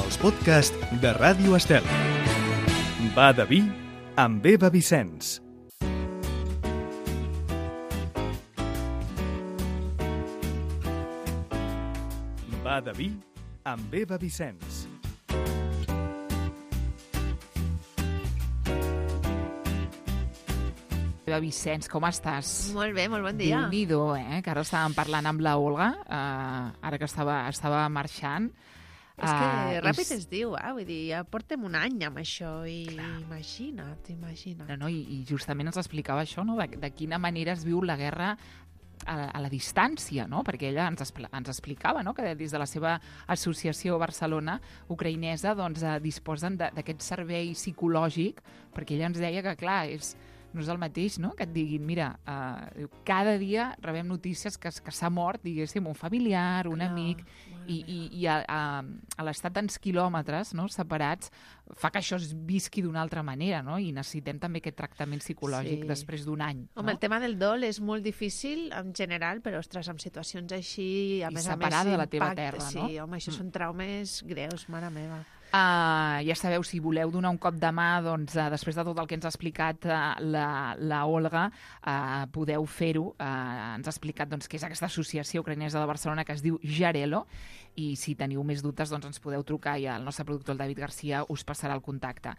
els podcasts de Ràdio Estel. Va de vi amb Eva Vicenç. Va de vi amb Eva Vicenç. Eva Vicenç, com estàs? Molt bé, molt bon dia. Déu-n'hi-do, que ara estàvem parlant amb la Olga, ara que estava marxant. És que ràpid es diu, vull dir, ja portem un any amb això i imagina't. No, i justament ens explicava això, no? De quina manera es viu la guerra a la distància, no? Perquè ella ens explicava, no? Que des de la seva associació Barcelona ucraïnesa doncs, disposen d'aquest servei psicològic, perquè ella ens deia que, clar, no és el mateix, no?, que et diguin, mira, cada dia rebem notícies que s'ha mort, diguéssim, un familiar, un amic, i a l'estat tants quilòmetres, no?, separats, fa que això es visqui d'una altra manera, no?, i necessitem també aquest tractament psicològic després d'un any. Home, el tema del dol és molt difícil en general, però, ostres, en situacions així, a més separada de la teva terra, no? Sí, home, això són traumes greus, mare meva. Ja sabeu, si voleu donar un cop de mà, doncs, després de tot el que ens ha explicat la Olga, podeu fer-ho. Ens ha explicat doncs, què és aquesta associació ucraïnesa de Barcelona que es diu Jarelo, i si teniu més dubtes doncs ens podeu trucar i el nostre productor, el David Garcia, us passarà el contacte.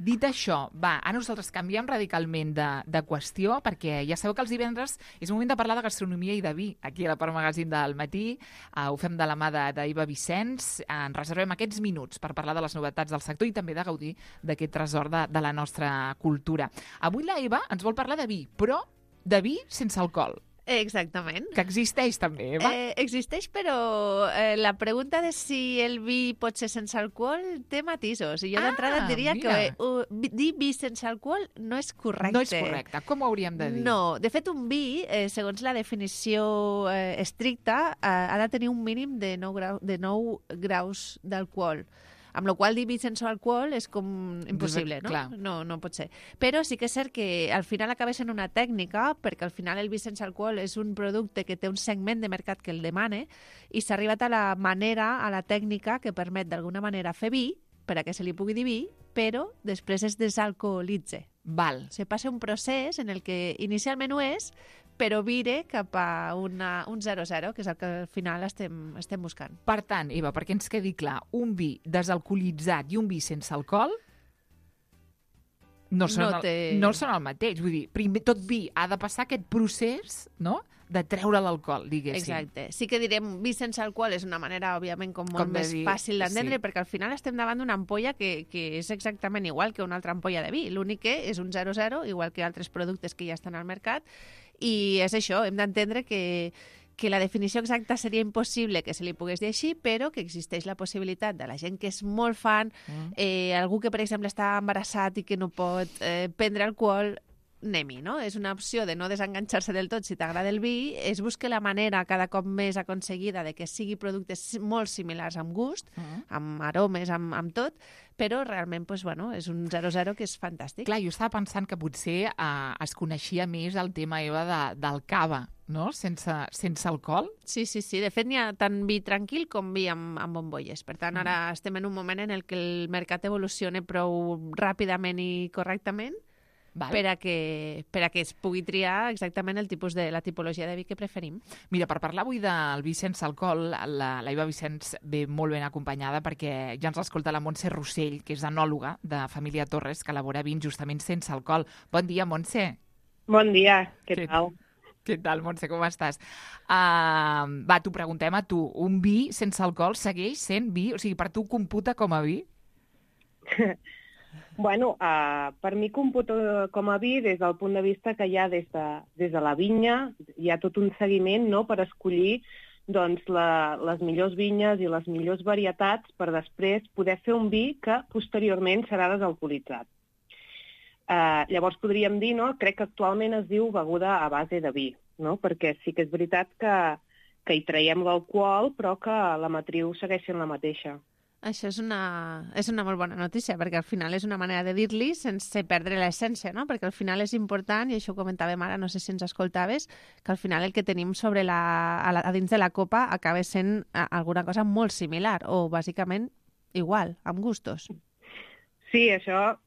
Dit això, ara nosaltres canviem radicalment de qüestió, perquè ja sabeu que els divendres és moment de parlar de gastronomia i de vi, aquí a la Part Magazín del matí. Ho fem de la mà d'Eva Vicenç. Ens reservem aquests minuts per parlar de les novetats del sector i també de gaudir d'aquest tresor de la nostra cultura. Avui la Eva ens vol parlar de vi, però de vi sense alcohol. Exactament. Que existeix també, Eva? Existeix, però la pregunta de si el vi pot ser sense alcohol té matisos. I jo d'entrada et diria que dir vi sense alcohol no és correcte. No és correcte. Com ho hauríem de dir? No. De fet, un vi, segons la definició estricta, ha de tenir un mínim de 9 graus d'alcohol. Amb la qual dir vi sense alcohol és com impossible, no? No pot ser. Però sí que és cert que al final acaba sent una tècnica, perquè al final el vi sense alcohol és un producte que té un segment de mercat que el demana i s'ha arribat a la manera, a la tècnica que permet d'alguna manera fer vi, per a que se li pugui dir vi, però després es desalcoholitza. Val. Se passa un procés en el que inicialment ho és, però vire cap a un 0-0, que és el que al final estem buscant. Per tant, Eva, perquè ens quedi clar, un vi desalcoholitzat i un vi sense alcohol no són el mateix. Vull dir, primer tot vi ha de passar aquest procés, no?, de treure l'alcohol, diguéssim. Exacte. Sí que direm vi sense alcohol és una manera, òbviament, com molt més fàcil d'entendre, perquè al final estem davant d'una ampolla que és exactament igual que una altra ampolla de vi. L'únic que és un 0-0, igual que altres productes que ja estan al mercat, i és això, hem d'entendre que la definició exacta seria impossible que se li pogués dir així, però que existeix la possibilitat de la gent que és molt fan, algú que, per exemple, està embarassat i que no pot prendre alcohol, anem-hi, no? És una opció de no desenganxar-se del tot si t'agrada el vi, és buscar la manera cada cop més aconseguida de que sigui productes molt similars amb gust, amb aromes, amb tot, però realment és un 0-0 que és fantàstic. Clar, jo estava pensant que potser es coneixia més el tema, Eva, del cava, no?, sense alcohol. Sí. De fet, n'hi ha tant vi tranquil com vi amb bombolles. Per tant, ara estem en un moment en el que el mercat evoluciona prou ràpidament i correctament per a que es pugui triar exactament la tipologia de vi que preferim. Mira, per parlar avui del vi sense alcohol, la Eva Vicenç ve molt ben acompanyada perquè ja ens escolta la Montse Rossell, que és enòloga de Família Torres, que elabora vins justament sense alcohol. Bon dia, Montse. Bon dia, què tal? Què tal, Montse, com estàs? T'ho preguntem a tu. Un vi sense alcohol segueix sent vi? O sigui, per tu computa com a vi? Bueno, per mi computa com a vi des del punt de vista que ja des de la vinya hi ha tot un seguiment, no?, per escollir doncs, les millors vinyes i les millors varietats per després poder fer un vi que posteriorment serà desalcoholitzat. Llavors podríem dir, no?, crec que actualment es diu beguda a base de vi, no?, perquè sí que és veritat que hi traiem l'alcohol però que la matriu segueix sent la mateixa. Això és una molt bona notícia, perquè al final és una manera de dir-li sense perdre l'essència, no? Perquè al final és important, i això ho comentàvem ara, no sé si ens escoltaves, que al final el que tenim a dins de la copa acaba sent alguna cosa molt similar, o bàsicament igual, amb gustos. Sí, això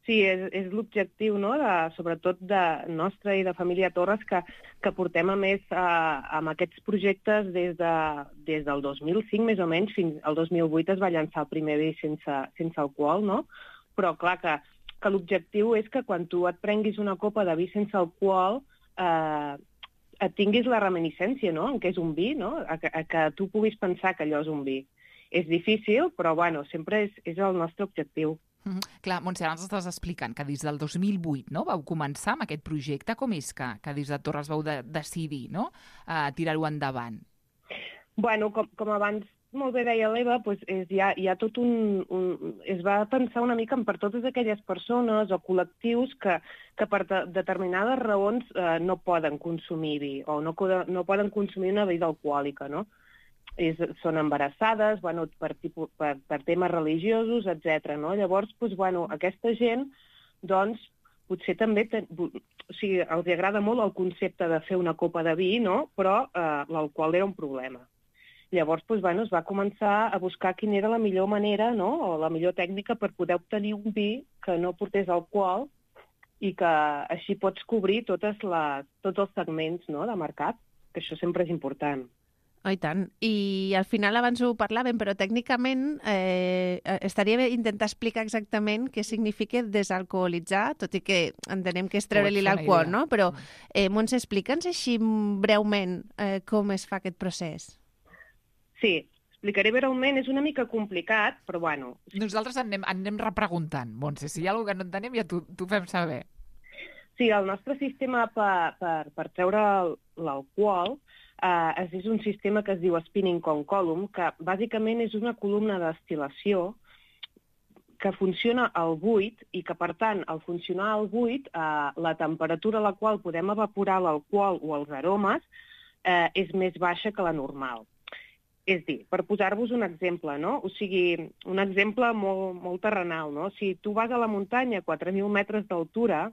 sí, és l'objectiu, no? Sobretot de nostre i de família Torres, que portem a més amb aquests projectes des del 2005, més o menys, fins al 2008 es va llançar el primer vi sense alcohol, no? Però clar que l'objectiu és que quan tu et prenguis una copa de vi sense alcohol et tinguis la reminiscència, no?, en què és un vi, no?, a que tu puguis pensar que allò és un vi. És difícil, però bueno, sempre és el nostre objectiu. Clar, Montse, ara ens estàs explicant que des del 2008 no, vau començar amb aquest projecte. Com és que des de Torres vau decidir no, tirar-ho endavant? Bueno, com abans molt bé deia l'Eva, doncs hi ha tot es va pensar una mica per totes aquelles persones o col·lectius que per determinades raons no poden consumir vi o no poden consumir una bebida alcohòlica, no? Són embarassades, bueno, per temes religiosos, etc. No? Llavors, doncs, bueno, aquesta gent, doncs, potser també o sigui, els agrada molt el concepte de fer una copa de vi, no? Però l'alcohol era un problema. Llavors, doncs, bueno, es va començar a buscar quina era la millor manera, no? O la millor tècnica per poder obtenir un vi que no portés alcohol i que així pots cobrir tots els segments, no?, de mercat, que això sempre és important. Oh, i tant. I al final abans ho parlàvem, però tècnicament estaria bé intentar explicar exactament què significa desalcoholitzar, tot i que entenem que és treure-li l'alcohol, no? Però, Montse, explica'ns així breument com es fa aquest procés. Sí, explicaré breument, és una mica complicat, però bueno. Nosaltres anem repreguntant, Montse, si hi ha alguna cosa que no entenem ja t'ho fem saber. Sí, el nostre sistema per treure l'alcohol és un sistema que es diu spinning cone column, que bàsicament és una columna de destil·lació que funciona al buit i que, per tant, al funcionar al buit, la temperatura a la qual podem evaporar l'alcohol o els aromes és més baixa que la normal. És dir, per posar-vos un exemple, no? O sigui, un exemple molt, molt terrenal, no? Si tu vas a la muntanya a 4.000 metres d'altura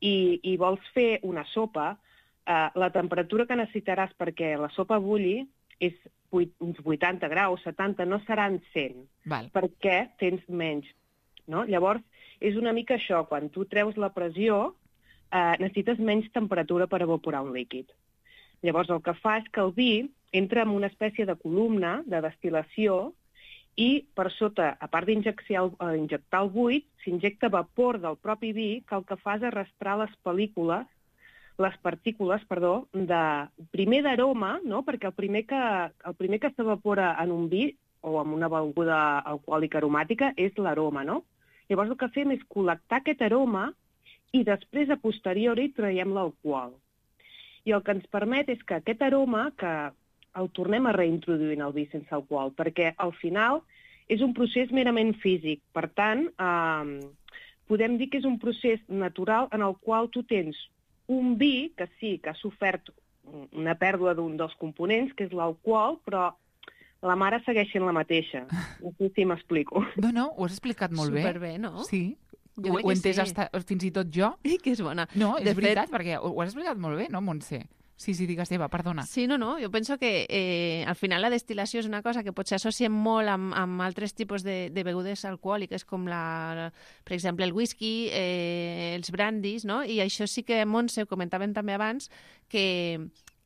i vols fer una sopa, la temperatura que necessitaràs perquè la sopa bulli és uns 80 graus, 70, no seran 100, perquè tens menys. No? Llavors, és una mica això, quan tu treus la pressió, necessites menys temperatura per evaporar un líquid. Llavors, el que fa és que el vi entra en una espècie de columna de destil·lació i per sota, a part d'injectar el buit, s'injecta vapor del propi vi que el que fa és arrastrar les partícules, primer d'aroma, no? Perquè el primer que s'evapora en un vi o en una beguda alcohòlica aromàtica és l'aroma, no? Llavors el que fem és col·lectar aquest aroma i després, a posteriori, traiem l'alcohol. I el que ens permet és que aquest aroma que el tornem a reintroduir en el vi sense alcohol, perquè al final és un procés merament físic. Per tant, podem dir que és un procés natural en el qual tu tens un vi que sí, que ha sofert una pèrdua d'un dels components, que és l'alcohol, però la mare segueix sent la mateixa. No sé si m'explico. No, ho has explicat molt bé. Superbé, no? Sí. Ho he entès fins i tot jo. I que és bona. No, és veritat, perquè ho has explicat molt bé, no, Montse? Sí, digues, Eva, perdona. Sí, no, jo penso que al final la destil·lació és una cosa que potser associem molt amb altres tipus de begudes alcohòliques, com per exemple el whisky, els brandis, no? I això sí que, Montse, ho comentàvem també abans, que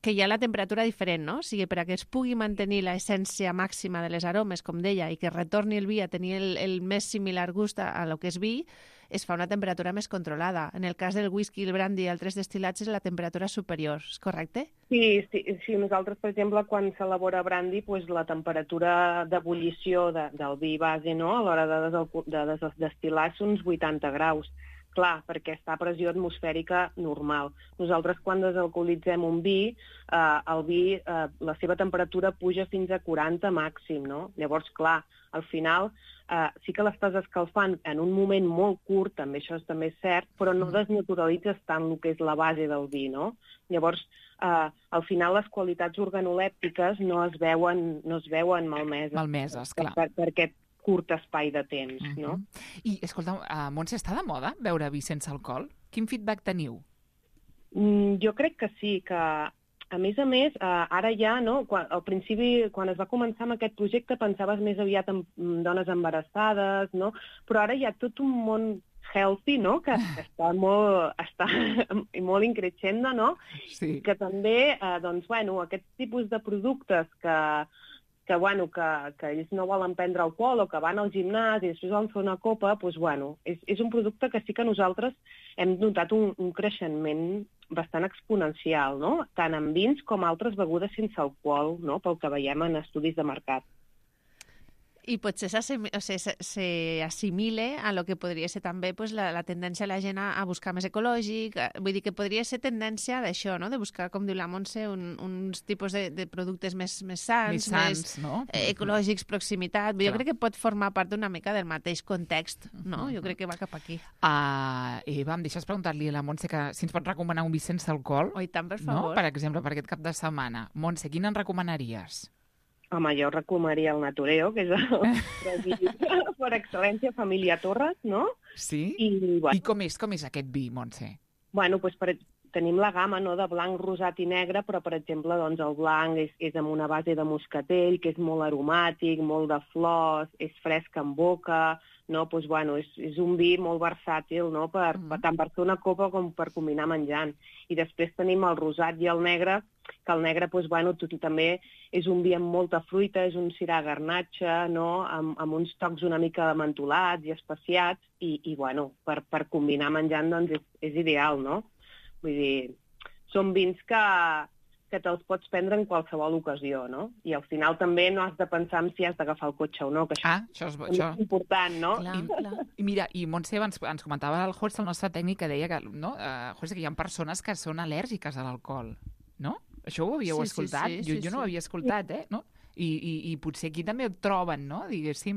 hi ha la temperatura diferent, no? O sigui, perquè es pugui mantenir l'essència màxima de les aromes, com deia, i que retorni el vi a tenir el més similar gust a lo que és vi, es fa una temperatura més controlada. En el cas del whisky, el brandy i altres destil·lats és la temperatura superior, és correcte? Sí, nosaltres, per exemple, quan s'elabora brandy, doncs la temperatura d'ebullició del vi base, no?, a l'hora de destil·lar són uns 80 graus. Clar, perquè està a pressió atmosfèrica normal. Nosaltres, quan desalcoholitzem un vi, el vi, la seva temperatura puja fins a 40 màxim, no? Llavors, clar, al final sí que l'estàs escalfant en un moment molt curt, també això també és cert, però no desnaturalitzes tant el que és la base del vi, no? Llavors, al final les qualitats organolèptiques no es veuen malmeses. Malmeses, clar. Per aquest curt espai de temps, no? I, escolta, Montse, està de moda beure vi sense alcohol? Quin feedback teniu? Jo crec que sí, que A més, ara ja, no? Al principi, quan es va començar amb aquest projecte, pensaves més aviat en dones embarassades, no? Però ara hi ha tot un món healthy, no? Que està molt increixendo, no? Sí. Que també, aquest tipus de productes que ells no volen prendre alcohol o que van al gimnàs i després van fer una copa, és un producte que sí que nosaltres hem notat un creixement bastant exponencial, no? Tant en vins com altres begudes sense alcohol, no? Pel que veiem en estudis de mercat. I potser s'assimile a lo que podria ser també pues, la tendència de la gent a buscar més ecològic. Vull dir que podria ser tendència d'això, no? De buscar, com diu la Montse, uns tipus de productes més sants, més no? Ecològics, proximitat. Jo crec que pot formar part d'una mica del mateix context, no? Jo crec que va cap aquí. Eva, em deixes preguntar-li a la Montse que si ens pot recomanar un vi sense alcohol? Oh, i tant, per favor. No? Per exemple, per aquest cap de setmana. Montse, quin en recomanaries? Home, jo recomanaria el Natureo, que és per excel·lència família Torres, no? Sí? I com és aquest vi, Montse? Tenim la gamma, no?, de blanc, rosat i negre, però, per exemple, doncs, el blanc és amb una base de moscatell, que és molt aromàtic, molt de flors, és fresc en boca, no? És un vi molt versàtil, no?, tant per fer una copa com per combinar menjant. I després tenim el rosat i el negre, que el negre, també és un vi amb molta fruita, és un sirà garnatxa, no?, amb uns tocs una mica mentolats i especiats, i per combinar menjant, doncs, és ideal, no? Vull dir, són vins que te'ls pots prendre en qualsevol ocasió, no? I al final també no has de pensar en si has d'agafar el cotxe o no, que això és important, no? Clar. I mira, i Montse ens comentava el Jorge, el nostre tècnic, que deia que, no? Jorge, que hi ha persones que són al·lèrgiques a l'alcohol, no? Això ho havíeu escoltat? Sí, jo no ho havia escoltat, no? I potser aquí també ho troben, no? Diguéssim...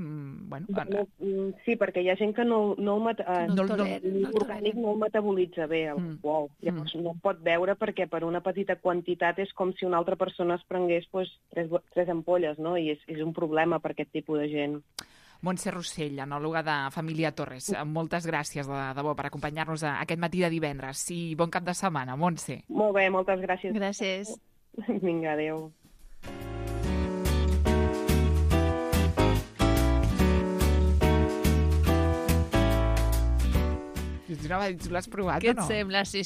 Sí, perquè hi ha gent que l'orgànic no el metabolitza bé, l'alcohol. Llavors no pot beure perquè per una petita quantitat és com si una altra persona es prengués tres ampolles, no? I és un problema per aquest tipus de gent. Montse Rossell, enòloga de Família Torres, moltes gràcies de debò per acompanyar-nos aquest matí de divendres. I bon cap de setmana, Montse. Molt bé, moltes gràcies. Gràcies. Vinga, adéu. Tu l'has provat o no? Què et sembla? Sí.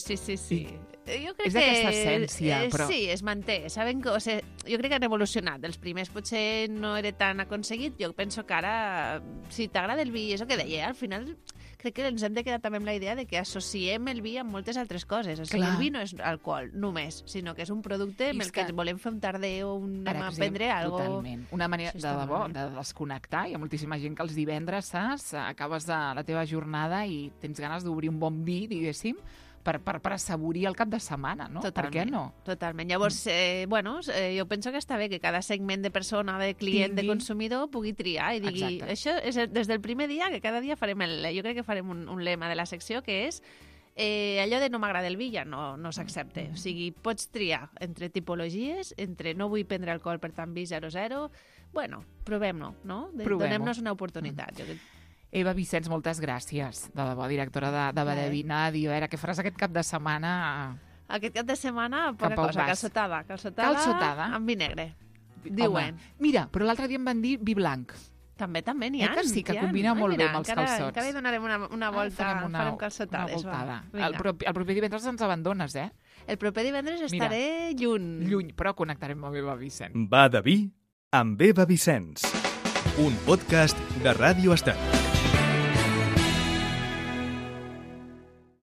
Jo crec és d'aquesta essència, però... Sí, es manté. Saben que, jo crec que han evolucionat. Els primers potser no era tan aconseguit. Jo penso que ara, si t'agrada el vi, és el que deia, al final crec que ens hem de quedar també amb la idea de que associem el vi amb moltes altres coses. O sigui, el vi no és alcohol, només, sinó que és un producte amb el que volem fer un tarder o anem a prendre alguna cosa. Totalment. Una manera, de debò, de desconnectar. Hi ha moltíssima gent que els divendres, saps, acabes la teva jornada i tens ganes d'obrir un bon vi, diguéssim, per assaborir el cap de setmana, no? Totalment, per què no? Totalment. Llavors, jo penso que està bé que cada segment de persona, de client, de consumidor, pugui triar i digui, això és des del primer dia, que cada dia farem jo crec que farem un lema de la secció, que és allò de no m'agrada el vi ja no s'accepta. O sigui, pots triar entre tipologies, entre no vull prendre alcohol, per tant, vi 0,0. Bueno, provem-lo, no? Donem-nos una oportunitat. Eva Vicenç, moltes gràcies, de debò, directora de Badevi. A veure, què faràs aquest cap de setmana? Aquest cap de setmana, poca cosa, calçotada amb vi negre, diuen. Mira, però l'altre dia em van dir vi blanc. També n'hi ha. Que sí, que combina molt bé amb els calçots. Encara hi donarem una volta, farem calçotades. El proper divendres ens abandones, eh? El proper divendres estaré lluny. Però connectarem amb Eva Vicenç. Va de vi amb Eva Vicenç. Un podcast de Ràdio Estel.